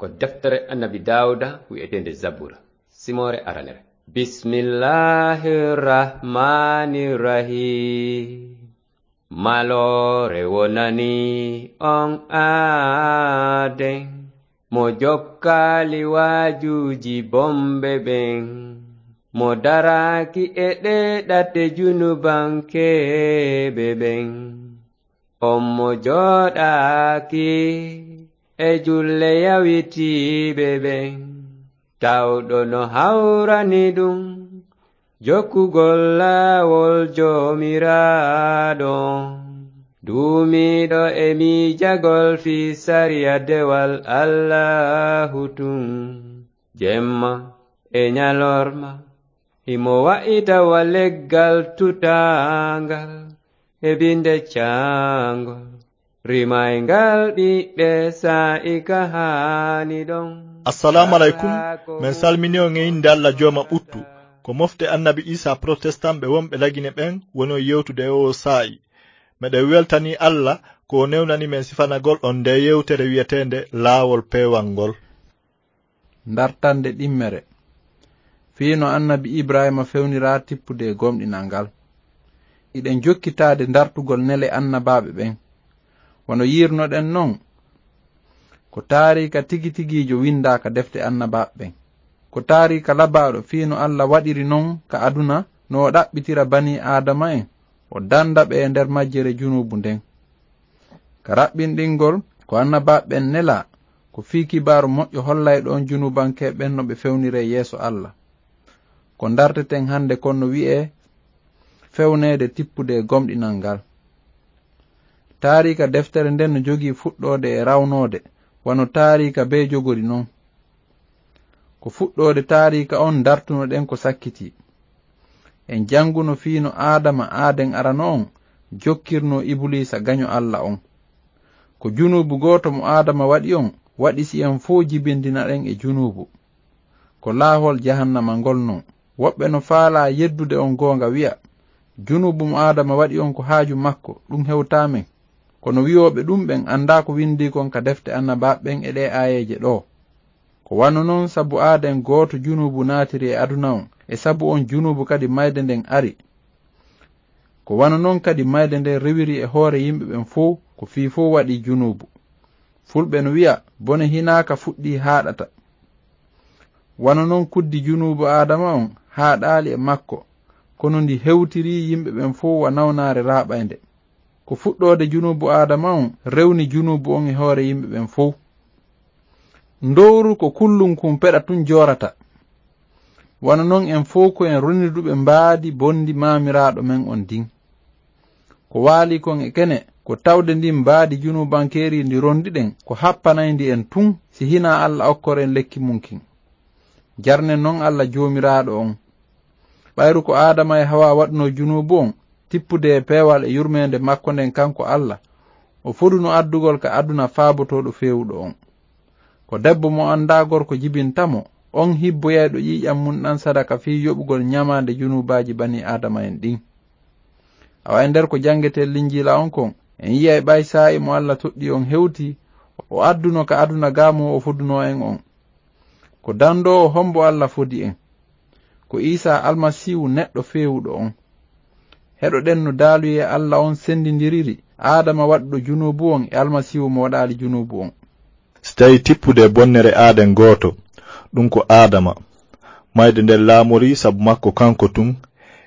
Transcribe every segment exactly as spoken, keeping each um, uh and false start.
Ko deftere Annabi Daawuda wi'eteende Zabura, simoore aranere. Bismillahir Rahmanir Rahim. Maloore wonani on aaden, mo jokkaali waajuuji bomɓe ɓen, mo daraaki e ɗee ɗate junubankeeɓe ɓen. On mo jooɗaaki e julle yawitiiɓe ɓen, tawɗo no hawrani ɗum jokkugol laawol Joomiraaɗo. Duumiiɗo e miijagol fii sariya dewal Allaahu tun, jemma e ñalorma, himo wa'ita wa leggal tutaangal e binde caangol, rimayngal ɓiɓɓe saa'i ka haani ɗon. Assalaamu aleykum. Men salmini on e innde Alla Jooma ɓuttu. Ko mofte Annabi Iisaa protestant ɓe wonɓe Lagine ɓen woni on yewtude e oo saa'i. Meɗen weltanii Alla ko o newnani men sifanagol on ndee yewtere wi'eteende Laawol Peewal ngol. Ndartannde ɗimmere. Fii no Annabi Ibrahiima fewniraa tippude e gomɗinal ngal. Hiɗen jokkitaade ndartugol nele annabaaɓe ɓen. Wano yi'irnoɗen non, ko taariika tigi tigiijo winndaa ka defte annabaaɓe ɓen. Ko taariika labaaɗo fii no Alla waɗiri non ka aduna, no o ɗaɓɓitira banii Aadama'en, o dannda ɓe e nder majjere junuubu nden. Ka raɓɓinɗingol, ko annabaaɓe ɓen nelaa, ko fii kibaaru moƴƴo hollayɗo on junuubankeeɓe ɓen no ɓe fewniree yeeso Alla. Ko ndarteten hannde kon no wi'ee fewneede tippude e gomɗinal ngal. Taariika deftere nden no jogii fuɗɗoode e rawnoode, wano taariika bee jogori non. Ko fuɗɗoode taariika on ndartunoɗen ko sakkitii. En jannguno fii no Aadama aaden arano on jokkirnoo Ibuliisa gaño Alla on. Ko junuubu gooto mo Aadama waɗi on waɗi si en fow jibindinaɗen e junuubu. Ko laahol jahannama ngol non. Woɓɓe no faalaa yeddude on goonga wi'a, junuubu mo Aadama waɗi on ko haaju makko, ɗum hewtaa men. Kono wi'ooɓe ɗum ɓen anndaa ko winndii kon ka defte annabaaɓe ɓen e ɗee aayeeje ɗoo. Ko wano non sabu aaden gooto junuubu naatiri e aduna on, e sabu on junuubu kadi mayde nden ari. Ko wano non kadi mayde nden rewiri e hoore yimɓe ɓen fow, ko fii fow waɗi junuubu. Fulɓe no wi'a, bone hinaaka fuɗɗii haaɗata. Wano non kuddi junuubu Aadama on haaɗaali e makko, kono ndi hewtirii yimɓe ɓen fow wa nawnaare raaɓaynde. Ko fuɗɗoode junuubu Aadama on rewni junuubu on e hoore yimɓe ɓen fow. Ndowru ko kullunkun peɗa tun joorata. Wano non en fow ko en roniduɓe mbaadi bonndi maamiraaɗo men on ndin. Ko waali kon e kene, ko tawde ndin mbaadi junuubankeeri ndi rondiɗen, ko happanayndi en tun si hinaa Alla okkoren lekki mun kin. Jarnen non Alla Joomiraaɗo on. Ɓayru ko Aadama e Hawaa waɗunoo junuubu on, tippude e peewal e yurmeende makko nden kanko Alla, o foduno addugol ka aduna faabotooɗo feewuɗo on. Ko debbo mo anndaa gorko jibinta mo, on hibboyayɗo ƴiiƴan mun ɗan sadaka fii yoɓugol ñamaande junuubaaji banii Aadama en ɗin. Awa e nder ko janngeten Linjiila on kon, en yi'ay ɓay saa'i mo Alla toɗɗii on hewtii, o adduno ka aduna gaamu o fodunoo en on. Ko dandoowo hombo Alla fodi en? Ko Iisaa Almasiihu neɗɗo feewuɗo on. Heɗoɗen no daaluyee Alla on sendindiriri, Aadama waɗuɗo junuubu on e Almasiihu mo waɗaali junuubu on. Si tawii tippude e bonnere aaden gooto, ɗum ko Aadama, mayde nden laamorii sabu makko kanko tun,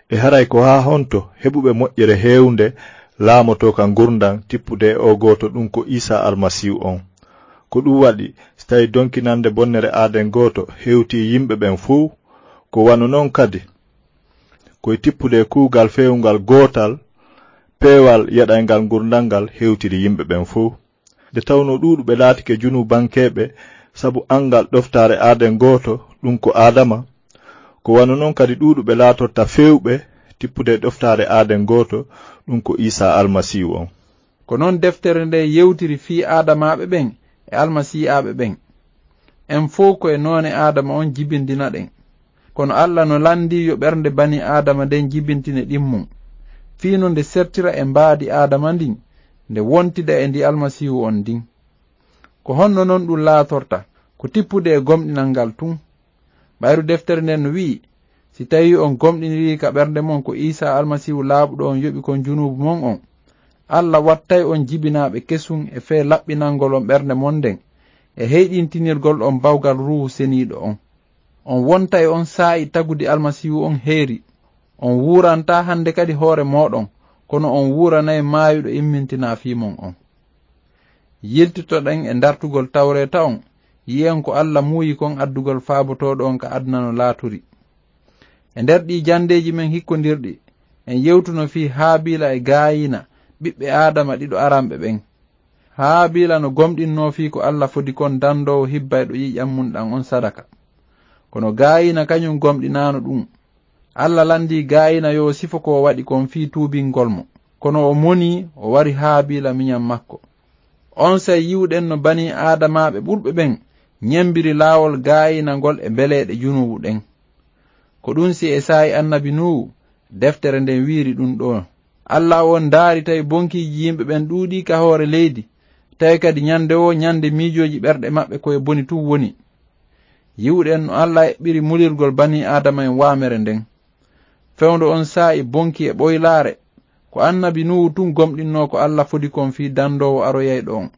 e haray ko haa honto heɓuɓe moƴƴere heewnde laamotoo ka ngurndan tippude e oo gooto, ɗum ko Iisaa Almasiihu on? Ko ɗum waɗi, si tawii donkinande bonnere aaden gooto hewtii yimɓe ɓen fow, ko wano non kadi, ko e tippude e kuugal feewungal gootal, peewal yeɗayngal ngurndan ngal hewtiri yimɓe ɓen fow. Nde tawnoo ɗuuɗuɓe laatike junuubankeeɓe sabu anngal ɗoftaare aaden gooto, ɗum ko Aadama, ko wano non kadi ɗuuɗuɓe laatorta feewɓe tippude e ɗoftaare aaden gooto, ɗum ko Iisaa Almasiihu on. Ko non deftere nde yewtiri fii Aadamaaɓe ɓen e Almasii'aaɓe ɓen. En fow ko e noone Aadama on jibindinaɗen. Kono Alla no lanndii yo ɓernde banii Aadama nden jibintine ɗimmum, fii no nde sertira e mbaadi Aadama ndin, nde wontida e ndi Almasiihu on ndin. Ko honno non ɗum laatorta? ko tippude e gomɗinal ngal tun. Ɓayru deftere nden no wi'i, si tawii on gomɗinirii ka ɓernde mon ko Iisaa Almasiihu laaɓuɗo on yoɓi kon junuubu mon on, Alla wattay on jibinaaɓe kesun e fee laɓɓinangol on ɓernde mon nden, e heyɗintinirgol on bawgal Ruuhu Seniiɗo on. On wontay on saa'i tagudi Almasiihu on heeri. On wuurantaa hande kadi hoore mooɗon, kono on wuuranay maayuɗo immintinaa fii mon on. Yiltitoɗen e dartugol Tawreeta on, yi'en ko Alla muuyi kon addugol faabotooɗo on ka aduna no laaturi. E nder ɗii janndeeji men hikkondirɗi, en yewtuno fii Haabiila e Gaayiina, ɓiɓɓe Aadama ɗiɗo aranɓe ɓen. Haabiila no gomɗinnoo fii ko Alla fodi kon dandoowo hibbayɗo ƴiiƴan mun ɗan on sadaka. Kono Gaayiina kañun gomɗinaano ɗun. Alla landii Gaayiina yo o sifo ko o waɗi kon fii tuubingol mo. Kono o monii, o wari Haabiila miñan makko. Onsay yi'uɗen no banii Aadamaaɓe ɓurɓe ɓen ñembiri laawol Gaayiina ngol e mbeleeɗe junuubu ɗen. Ko ɗun si e saa'i annabi Nuuhu, deftere nden wi'iri ɗun ɗoo. Alla on ndaari tawi bonkiiji yimɓe ɓen ɗuuɗii ka hoore leydi, tawi kadi ñande woo ñande miijooji ɓerɗe maɓɓe ko e boni tun woni. Yi'uɗen no Alla eɓɓiri mulirgol banii Aadama en waamere nden. Fewndo on saa'i bonki e ɓoylaare, ko annabi Nuuhu tun gomɗinnoo ko Alla fodi kon fii dandoowo aroyayɗo on.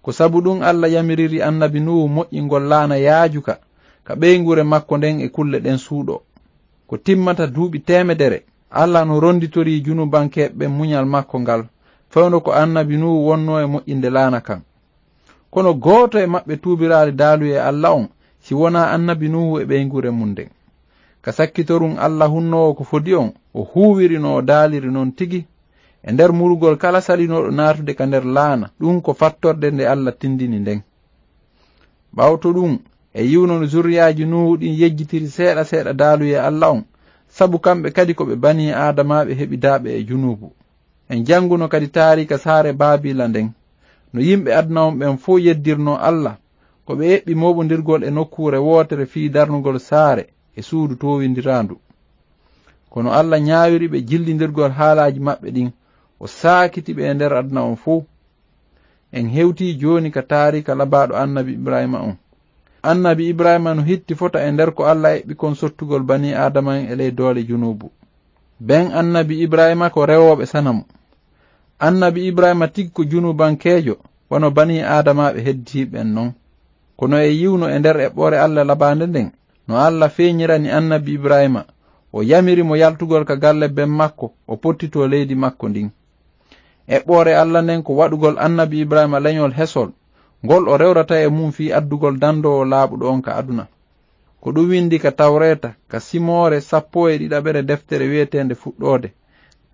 Ko sabu ɗun Alla yamiriri annabi Nuuhu moƴƴingol laana yaajuka ka ɓeynguure makko nden e kulle ɗen suuɗoo. Ko timmata duuɓi teemedere, Alla no ronditorii junubankeeɓe ɓen muñal makko ngal, fewndo ko annabi Nuuhu wonnoo e moƴƴinde laana kan. Kono gooto e maɓɓe tuubiraali daaluyee Alla on, si wonaa annabi Nuuhu e ɓeynguure mun nden. Ka sakkitorun Alla hunnoowo ko fodi on, o huuwiri no o daaliri non tigi, e nder murugol kala salinooɗo naatude ka nder laana, ɗun ko fattorde nde Alla tindini nden. Ɓawto ɗun, e yi'uno no zurriyaaji Nuuhu ɗin yejjitiri seeɗa seeɗa daaluyee Alla on, sabu kamɓe kadi ko ɓe banii Aadamaaɓe heɓidaaɓe e junuubu. En jannguno kadi taariika saare Baabiila nden, no yimɓe aduna on ɓen fow yeddirnoo Alla, ko ɓe eɓɓi mooɓondirgol e nokkuure wootere fii darnugol saare e suudu toowindiraandu. Kono Alla ñaawiri ɓe jillindirgol haalaaji maɓɓe ɗin, o saakiti ɓe e nder aduna on fow. En hewtii jooni ka taariika labaaɗo annabi Ibrahiima on. Annabi Ibrahiima no hitti fota e nder ko Alla eɓɓi kon sottugol banii Aadama en e ley doole junuubu. Ɓen annabi Ibrahiima ko rewooɓe sanamu. Annabi Ibrahiima tigi ko junubankeejo, wano banii Aadamaaɓe hedditiiɓe ɓen non. Kono e yi'uno e nder eɓɓoore Alla labaande nden, no Alla feeñirani annabi Ibrahiima, o yamiri mo yaltugol ka galle ben makko, o pottitoo leydi makko ndin. Eɓɓoore Alla nden ko waɗugol annabi Ibrahiima leñol hesol, ngol o rewrata e mun fii addugol dandoowo laaɓuɗo on ka aduna. Ko ɗun windi ka Tawreeta, ka simoore sappo e ɗiɗaɓere deftere wi'eteende Fuɗɗoode,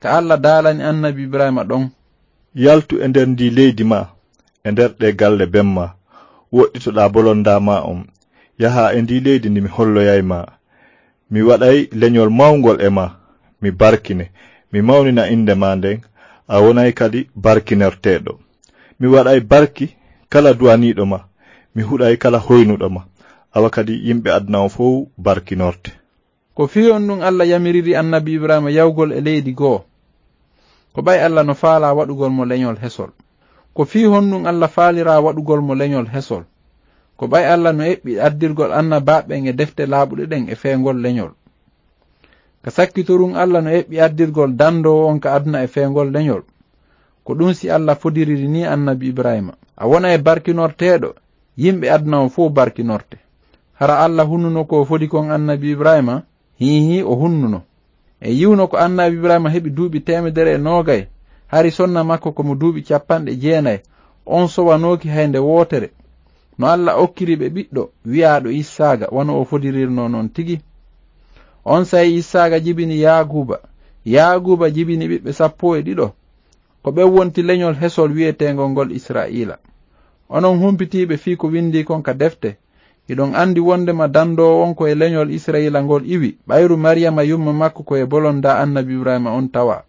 ka Alla daalani annabi Ibrahiima ɗon. Yaltu e nder ndii leydi maa, e nder ɗee galle ben maa, woɗɗitoɗaa bolondaa maa on, yahaa e ndii leydi ndi mi holloyay maa. Mi waɗay leñol mawngol e maa, mi barkine, mi mawnina innde maa nden, a wonay kadi barkinorteeɗo. Mi waɗay barki kala duwaniiɗo ma, mi huɗay kala hoynuɗo ma, awa kadi yimɓe aduna on fow barkinorte. Ko fii honɗun Alla yamiriri annabi Ibrahiima yahugol e leydi goo? Ko ɓay Alla no faalaa waɗugol mo leñol hesol? Ko fii honɗun Alla faaliraa waɗugol mo leñol hesol? Ko ɓay Alla no eɓɓi addirgol annabaaɓe ɓen e defte laaɓuɗe ɗen e feengol leñol. Ka sakkitorun Alla no eɓɓi addirgol dandoowo on ka aduna e feengol leñol. Ko ɗun si Alla fodiriri nii annabi Ibrahiima. A wonay barkinorteeɗo, yimɓe aduna on fow barkinorte. Hara Alla hunnuno ko o fodi kon annabi Ibrahiima? Hiihi, o hunnuno. E yi'uno ko annabi Ibrahiima heɓi duuɓi teemedere e noogay, hari sonna makko ko mo duuɓi cappanɗe jeenay, on sowanooki hay nde wootere. No Alla okkiri ɓe ɓiɗɗo, wi'aaɗo Issaaqa, wano o fodirirnoo non tigi. Onsay Issaaqa jibini Yaaquuba, Yaaquuba jibini ɓiɓɓe sappo e ɗiɗo. Ko ɓen wonti leñol hesol wi'eteengol ngol Isra'iila. Onon humpitiiɓe fii ko windii kon ka defte, hiɗon andi wondema dandoowo on ko e leñol Isra'iila ngol iwi, ɓayru Mariyama yumma makko ko e bolondaa annabi Ibrahiima on tawaa.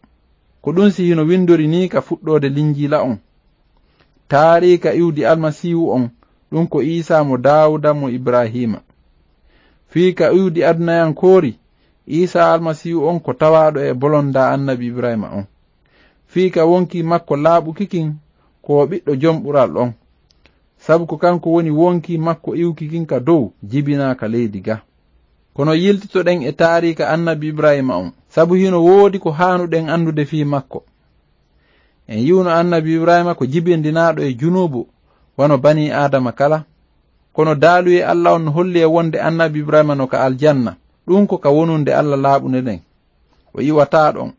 Ko ɗun si hino windori nii ka fuɗɗoode Linjiila on. Taariika iwdi Almasiihu on, ɗun ko Iisaa mo Daawuda mo Ibrahiima. Fii ka iwdi adunayankoori, Iisaa Almasiihu on ko tawaaɗo e bolondaa annabi Ibrahiima on. Fii ka wonkii makko laaɓuki kin, ko o ɓiɗɗo Jom Ɓural on. sabu ko kanko woni wonkii makko iwki kin ka dow, jibinaa ka leydi ga. Kono yiltitoɗen e taariika Annabi Ibraahiima on, sabu hino woodi ko haanuɗen anndude fii makko. En yi'uno Annabi Ibraahiima ko jibindinaaɗo e junuubu, wano banii Aadama kala. Kono daaluyee Alla on no holli en wonde Annabi Ibraahiima no ka aljanna, ɗun ko ka wonunde Alla laaɓunde nden. O iwataa ɗon.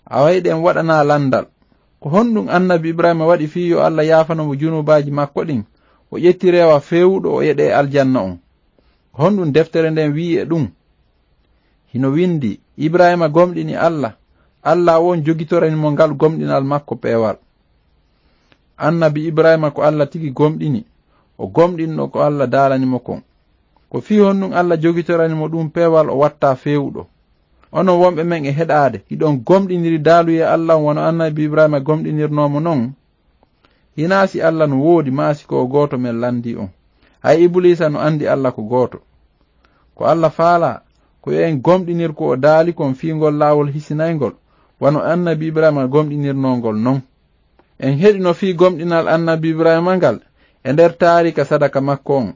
Awa hiɗen waɗanaa lanndal. Ko honɗun Annabi Ibraahiima waɗi fii yo Alla yaafano mo junuubaaji makko ɗin, o ƴetti reewa feewuɗo o yeɗee aljanna on? Ko honɗun deftere nden wi'i e ɗun? Hino windii, Ibraahiima gomɗini Alla, Alla on jogitorani mo ngal gomɗinal makko peewal. Annabi Ibraahiima ko Alla tigi gomɗini, o gomɗinno ko Alla daalani mo kon. Ko fii honɗun Alla jogitorani mo ɗun peewal o wattaa feewuɗo? Onon wonɓe men e heɗaade, hiɗon gomɗiniri daaluyee Alla on wano Annabi Ibraahiima gomɗinirnoo mo non? Hinaa si Alla no woodi, maa si ko o gooto men lanndii on. Hay Ibuliisa no anndi Alla ko gooto. Ko Alla faalaa, ko yo en gomɗinir ko o daali kon fii ngol laawol hisinayngol, wano Annabi Ibraahiima gomɗinirnoo ngol non. En heɗino fii gomɗinal Annabi Ibraahiima ngal e nder taariika sadaka makko on.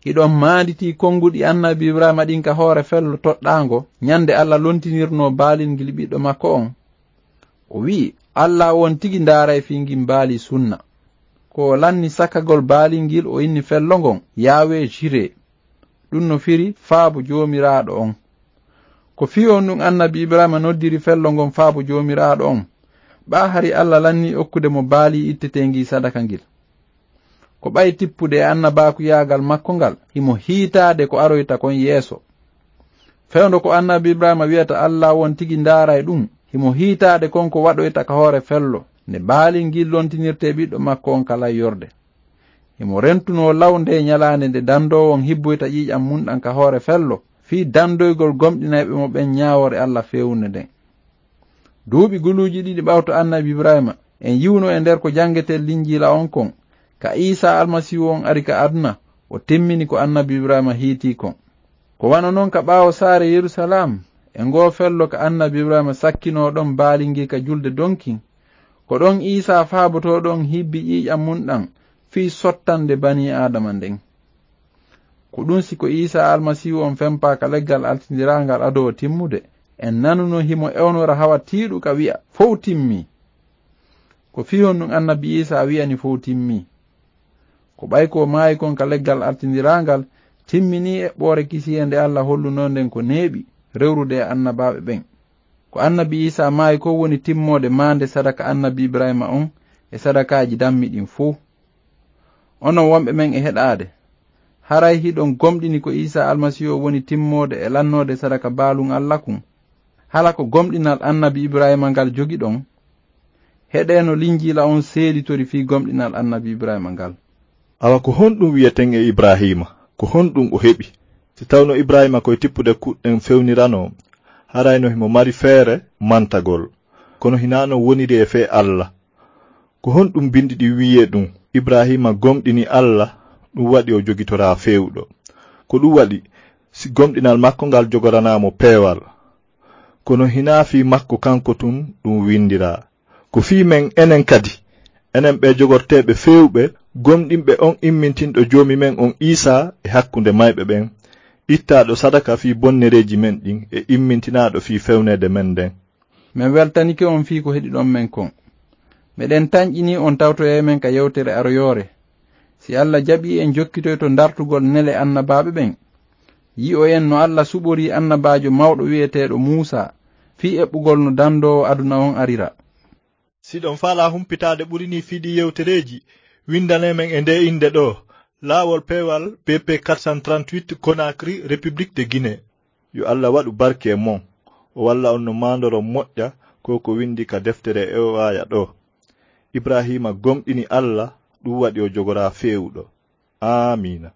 Hiɗon maanditii konnguɗi Annabi Ibraahiima ɗin ka hoore fello toɗɗaango, ɲande Alla lontinirnoo baalingil ɓiɗɗo makko on? O wi'i, Alla on tigi ndaaray fii ngin baali sunna. Ko o lanni sakagol baali ngil, o inni fello ngon, Yahweh Jireh. Ɗun no firi, Faabo Joomiraaɗo on. Ko fii honɗun Annabi Ibraahiima noddiri fello ngon Faabo Joomiraaɗo on? Ɓaa hari Alla lanni okkude mo baali itteteengi sadaka ngil. Ko ɓay tippude e annabaakuyaagal makko ngal, himo hiitaade ko aroyta kon yeeso. Fewndo ko Annabi Ibraahiima wi'ata Alla on tigi ndaaray ɗun, himo hiitaade kon ko waɗoyta ka hoore fello, nde baali ngin lontinirtee ɓiɗɗo makko on ka layyorde. Himo rentunoo law ndee ɲalaande nde dandoowo on hibboyta ƴiiƴan mun ɗan ka hoore fello, fii dandoygol gomɗinayɓe mo ɓen ɲaawoore Alla feewunde nden. Duuɓi guluuji ɗiɗi ɓawto Annabi Ibraahiima, en yi'uno e nder ko janngetee Linjiila on kon, ka Iisaa Almasiihu on ari ka aduna, o timmini ko Annabi Ibraahiima hiitii kon. Ko wano non ka ɓaawo saare Yerusalaam, e ngoo fello ka Annabi Ibraahiima sakkinoo ɗon baali ngii ka julde donkin, ko ɗon Iisaa faabotoo ɗon hibbi ƴiiƴan mun ɗan fii sottande banii Aadama nden. Ko ɗun si ko Iisaa Almasiihu on fempaa ka leggal altindiraangal ado o timmude, en nanuno himo ewnora hawa tiiɗu ka wi'a, "Fow timmii." Ko fii honɗun Annabi Iisaa wi'ani, "Fow timmii"? Ko ɓay ko o maayi kon ka leggal altindiraangal timminii eɓɓoore kisiyee nde Alla hollunoo nden ko neeɓi rewrude e annabaaɓe ɓen. Ko Annabi Iisaa maayi kon woni timmoode maande sadaka Annabi Ibraahiima on e sadakaaji dammi ɗin fow. Onon wonɓe men e heɗaade, haray hiɗon gomɗini ko Iisaa Almasiihu on woni timmoode e lannoode sadaka baalun Alla kun? Hala ko gomɗinal Annabi Ibraahiima ngal jogiɗon? Heɗee no Linjiila on seeditori fii gomɗinal Annabi Ibraahiima ngal. Awa ko honɗun wi'eten e Ibraahiima? Ko honɗun o heɓi? Si tawno Ibraahiima ko e tippude kuɗɗen fewniranoo, harayno himo mari feere mantagol. Kono hinaa non woniri e fee Alla. Ko honɗun binndi ɗin wi'i e ɗun? Ibraahiima gomɗini Alla, ɗun waɗi o jogitoraa feewuɗo. Ko ɗun waɗi, si gomɗinal makko ngal jogoranaa mo peewal. Kono hinaa fii makko kanko tun ɗun winndiraa. Ko fii men enen kadi, enen ɓee jogorteeɓe feewuɓe, gomɗinɓe on immintinɗo Joomi men on Iisaa e hakkunde mayɓe ɓen, ittaaɗo sadaka fii bonnereeji men ɗin e immintinaaɗo fii fewneede men nden. Men weltanike on fii ko heɗiɗon men kon. Meɗen tanƴinii on tawtoyay men ka yewtere aroyoore. Si Alla jaɓii, en jokkitoyto dartugol nele annabaaɓe ɓen. Yi'oyen no Alla suɓorii annabaajo mawɗo wi'eteeɗo Muusaa fii eɓɓugol no dandoowo aduna on arira. Si ɗon faalaa humpitaade ɓuri nii fii ɗii yewtereeji, winndanee men e ndee innde ɗoo, Laawol Peewal, B P quatre cent trente-huit, Conakry, République de Guinée. Yo Alla waɗu barke e mon, o walla on no maandoron moƴƴa ko ko winndi ka deftere ewaaya ɗoo. Ibraahiima gomɗini Alla, ɗun waɗi o jogoraa feewuɗo. Aamiina.